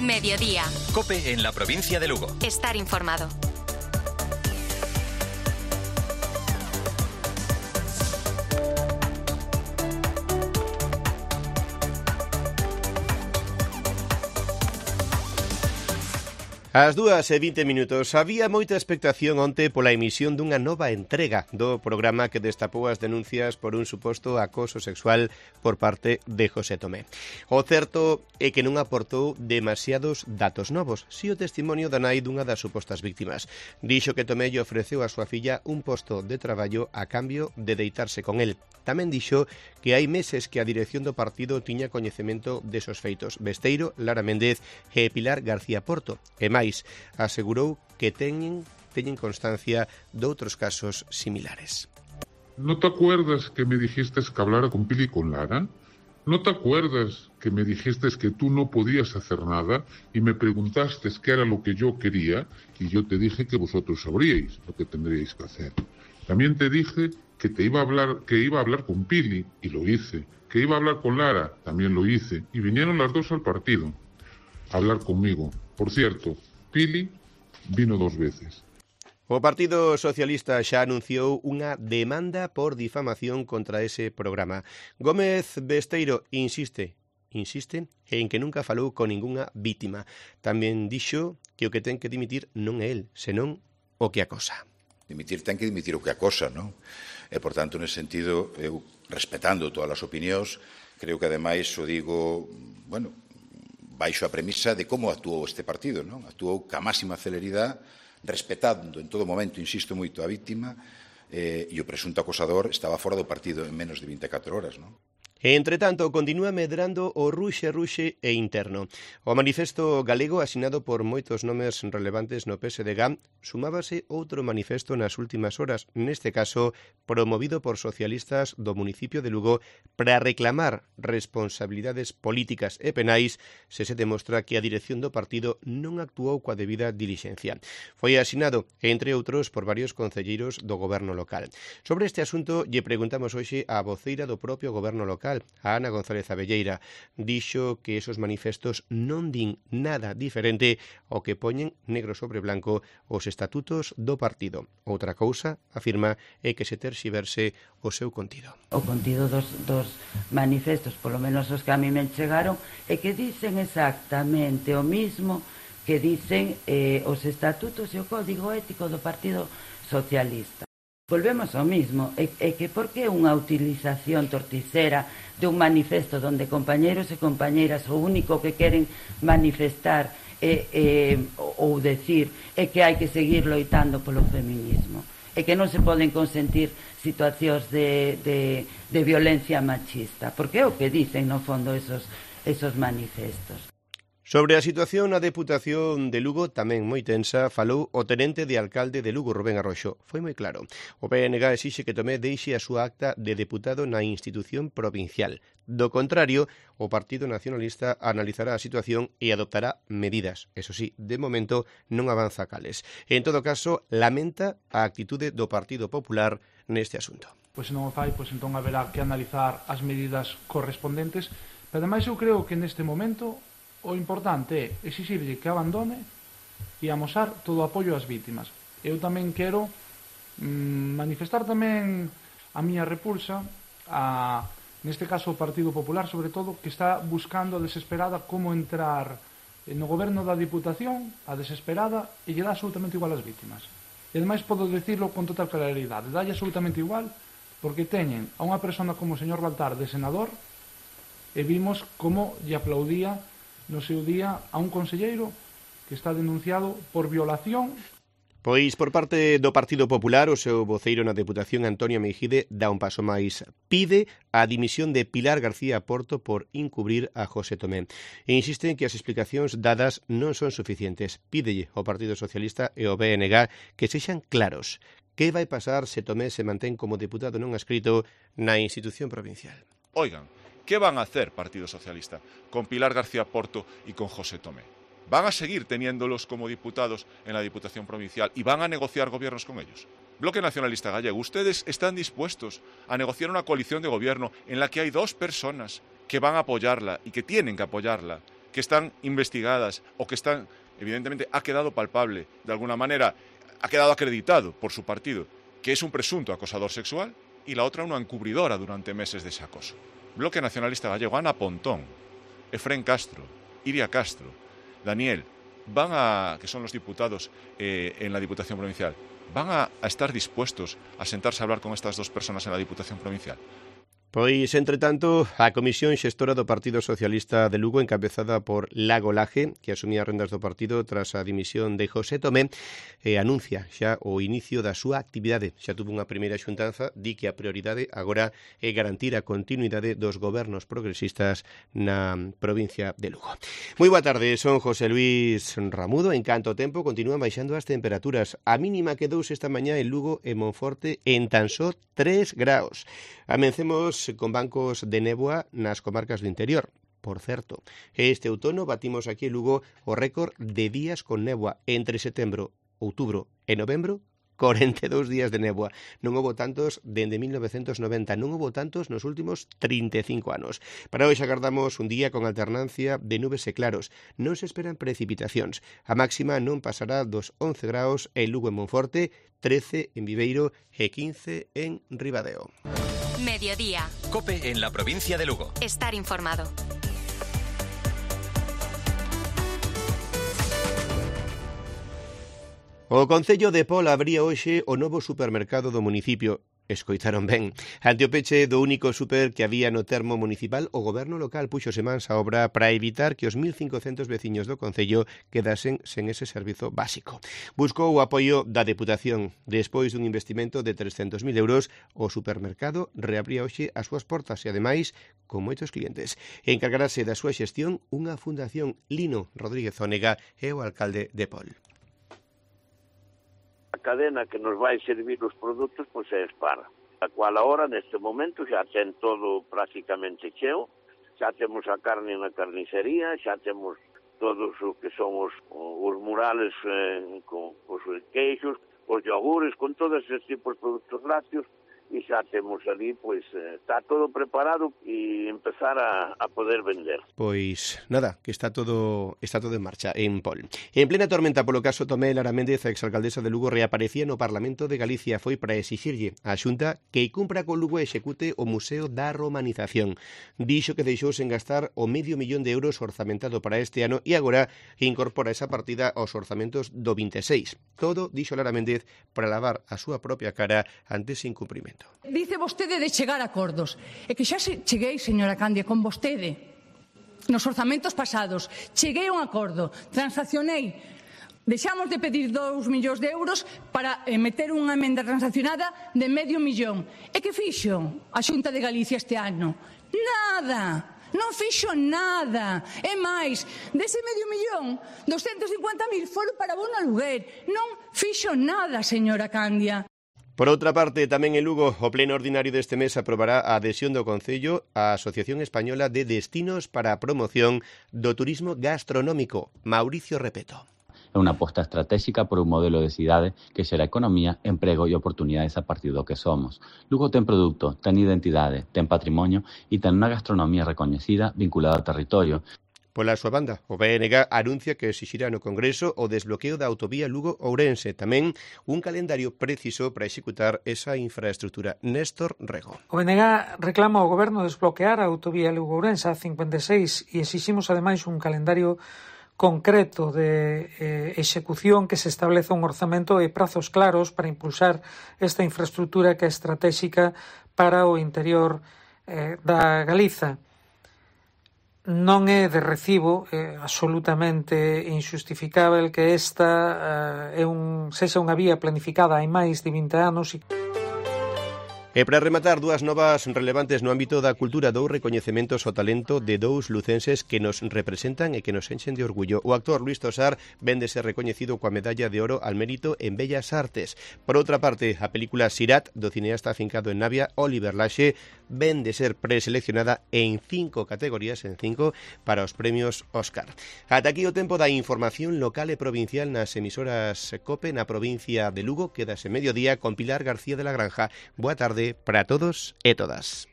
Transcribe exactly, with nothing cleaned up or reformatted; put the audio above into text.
Mediodía. COPE en la provincia de Lugo. Estar informado. Ás dúas e vinte minutos, había moita expectación onte pola emisión dunha nova entrega do programa que destapou as denuncias por un suposto acoso sexual por parte de José Tomé. O certo é que non aportou demasiados datos novos, si o testimonio da nai dunha das supostas víctimas. Dixo que Tomé lle ofreceu a súa filla un posto de traballo a cambio de deitarse con el. Tamén dixo que hai meses que a dirección do partido tiña coñecemento desos feitos. Besteiro, Lara Méndez e Pilar García Porto. E máis, asegurou que teñen, teñen constancia de outros casos similares. ¿No te acuerdas que me dijiste que hablara con Pili y con Lara? ¿No te acuerdas que me dijiste que tú no podías hacer nada y me preguntaste qué era lo que yo quería y yo te dije que vosotros sabríais lo que tendríais que hacer? También te dije que te iba a hablar, que iba a hablar con Pili y lo hice, que iba a hablar con Lara, también lo hice, y vinieron las dos al partido a hablar conmigo. Por cierto, Pili vino dos veces. O Partido Socialista xa anunciou unha demanda por difamación contra ese programa. Gómez Besteiro insiste, insiste en que nunca falou con ningunha vítima. Tamén dixo que o que ten que dimitir non é el, senón o que acosa. Dimitir ten que dimitir o que acosa, non? E, por tanto, nese sentido, eu, respetando todas as opinións, creo que, ademais, o digo, bueno, baixo a premisa de como actuou este partido, non? Actuou ca máxima celeridade, respetando en todo momento, insisto moito, a víctima, eh, e o presunto acosador estaba fora do partido en menos de vinte e catro horas, non? Entre tanto, continúa medrando o ruxe-ruxe e interno. O manifesto galego, asinado por moitos nomes relevantes no P S D G, sumábase outro manifesto nas últimas horas, neste caso promovido por socialistas do municipio de Lugo, para reclamar responsabilidades políticas e penais se se demostra que a dirección do partido non actuou coa debida dilixencia. Foi asinado, entre outros, por varios concelleiros do goberno local. Sobre este asunto, lle preguntamos hoxe á voceira do propio goberno local, a Ana González Abelleira. Dixo que esos manifestos non din nada diferente ao que poñen negro sobre blanco os estatutos do partido. Outra cousa, afirma, é que se terxiverse o seu contido. O contido dos, dos manifestos, polo menos os que a mí me chegaron, é que dicen exactamente o mismo que dicen eh, os estatutos e o código ético do Partido Socialista. Volvemos ao mismo, é, é que por que unha utilización torticera de un manifesto onde compañeros e compañeiras o único que queren manifestar é, é, ou decir é que hai que seguir loitando polo feminismo, é que non se poden consentir situacións de, de, de violencia machista, porque é o que dicen no fondo esos, esos manifestos. Sobre a situación na Deputación de Lugo, tamén moi tensa, falou o tenente de alcalde de Lugo, Rubén Arroxo. Foi moi claro. O P N G exixe que Tomé deixe a súa acta de deputado na institución provincial. Do contrario, o Partido Nacionalista analizará a situación e adoptará medidas. Eso sí, de momento non avanza cales. En todo caso, lamenta a actitude do Partido Popular neste asunto. Pois se non o fai, pois entón haberá que analizar as medidas correspondentes. Pero ademais eu creo que neste momento o importante é exixirlle que abandone e amosar todo o apoio ás vítimas. Eu tamén quero mmm, manifestar tamén a miña repulsa a, neste caso, o Partido Popular, sobre todo, que está buscando a desesperada como entrar no goberno da Diputación, a desesperada, e lle dá absolutamente igual ás vítimas. E ademais podo decirlo con total claridade, dalle absolutamente igual, porque teñen a unha persona como o señor Baltar de senador e vimos como lle aplaudía no seu día a un conselleiro que está denunciado por violación. Pois, por parte do Partido Popular, o seu voceiro na Deputación, Antonio Meijide, dá un paso máis. Pide a dimisión de Pilar García Porto por encubrir a José Tomé. E insiste en que as explicacións dadas non son suficientes. Pídelle ao Partido Socialista e ao B N G que sexan claros. Que vai pasar se Tomé se mantén como deputado non adscrito na institución provincial? Oigan, ¿qué van a hacer Partido Socialista con Pilar García Porto y con José Tomé? ¿Van a seguir teniéndolos como diputados en la Diputación Provincial y van a negociar gobiernos con ellos? Bloque Nacionalista Gallego, ¿ustedes están dispuestos a negociar una coalición de gobierno en la que hay dos personas que van a apoyarla y que tienen que apoyarla que están investigadas o que están, evidentemente, ha quedado palpable, de alguna manera, ha quedado acreditado por su partido, que es un presunto acosador sexual, y la otra una encubridora durante meses de ese acoso. Bloque Nacionalista Gallego, Ana Pontón, Efrén Castro, Iria Castro, Daniel, van a, que son los diputados eh, en la Diputación Provincial, van a, a estar dispuestos a sentarse a hablar con estas dos personas en la Diputación Provincial. Pois, entre tanto, a Comisión Xestora do Partido Socialista de Lugo, encabezada por Lago Laje, que asumía as rendas do partido tras a dimisión de José Tomé, eh, anuncia xa o inicio da súa actividade. Xa tuvo unha primeira xuntanza, di que a prioridade agora é garantir a continuidade dos gobernos progresistas na provincia de Lugo. Moi boa tarde, son José Luis Ramudo. En canto tempo continúan baixando as temperaturas. A mínima quedou esta mañá en Lugo e Monforte en tan só tres graus. Amencemos con bancos de néboa nas comarcas do interior. Por certo, este outono batimos aquí en Lugo o récord de días con néboa entre setembro, outubro e novembro. corenta e dous días de néboa. Non houbo tantos dende mil novecentos noventa, non houbo tantos nos últimos trinta e cinco anos. Para hoxe agardamos un día con alternancia de nubes e claros. Non se esperan precipitacións. A máxima non pasará dos once graus en Lugo e Monforte, trece en Viveiro e quince en Ribadeo. Mediodía. COPE en la provincia de Lugo. Estar informado. O Concello de Pol abría hoxe o novo supermercado do municipio. Escoitaron ben. Ante o peche do único super que había no termo municipal, o goberno local puxose mans á obra para evitar que os mil cincocentos veciños do Concello quedasen sen ese servizo básico. Buscou o apoio da Deputación. Despois dun investimento de trescentos mil euros, o supermercado reabría hoxe as súas portas e, ademais, con moitos clientes. Encargarase da súa xestión unha fundación. Lino Rodríguez Ónega é o alcalde de Pol. A cadena que nos vai servir os produtos pois é Spar, a cual agora neste momento xa ten todo prácticamente cheo, xa temos a carne na carnicería, xa temos todos o que son os, os murales eh, con os queixos, os yogures, con todos estes tipos de produtos lácteos, e xa temos ali, pois, está todo preparado e empezar a, a poder vender. Pois nada, que está todo está todo en marcha en Pol. En plena tormenta polo caso Tomé, Lara Méndez, a exalcaldesa de Lugo, reaparecía no Parlamento de Galicia. Foi para exixirlle á Xunta que cumpra con Lugo e execute o Museo da Romanización. Dixo que deixou sen gastar o medio millón de euros orzamentado para este ano e agora incorpora esa partida aos orzamentos do vinte e seis. Todo, dixo Lara Méndez, para lavar a súa propia cara ante ese incumprimento. Dice vostede de chegar a acordos. E que xa cheguei, señora Candia, con vostede. Nos orzamentos pasados. Cheguei a un acordo. Transaccionei. Deixamos de pedir dous millóns de euros para eh, meter unha emenda transaccionada de medio millón. E que fixo a Xunta de Galicia este ano? Nada. Non fixo nada. E máis, dese medio millón, doscientos cincuenta mil foron para bono aluguer. Non fixo nada, señora Candia. Por outra parte, tamén en Lugo, o pleno ordinario deste mes aprobará a adhesión do Concello á Asociación Española de Destinos para a Promoción do Turismo Gastronómico. Mauricio Repeto. É unha aposta estratégica por un modelo de cidade que xera economía, emprego e oportunidades a partir do que somos. Lugo ten produto, ten identidade, ten patrimonio e ten unha gastronomía recoñecida vinculada ao territorio. Pola súa banda, o B N G anuncia que exixirá no Congreso o desbloqueo da autovía Lugo-Ourense, tamén un calendario preciso para executar esa infraestructura. Néstor Rego. O B N G reclama ao Goberno desbloquear a autovía Lugo-Ourense a cincuenta e seis e exiximos ademais un calendario concreto de eh, execución que se estableza un orzamento e prazos claros para impulsar esta infraestructura que é estratégica para o interior eh, da Galiza. Non é de recibo, é absolutamente injustificável que esta eh, é un, sexa unha vía planificada hai máis de vinte anos e... E para rematar, dúas novas relevantes no ámbito da cultura, dous recoñecementos ao talento de dous lucenses que nos representan e que nos enchen de orgullo. O actor Luis Tosar ven de ser recoñecido coa medalla de oro al mérito en Bellas Artes. Por outra parte, a película Sirat, do cineasta afincado en Navia, Oliver Laxe, ven de ser preseleccionada en cinco categorías, en cinco, para os premios Óscar. Ata aquí o tempo da información local e provincial nas emisoras COPE na provincia de Lugo. Quedase mediodía con Pilar García de la Granja. Boa tarde para todos e todas.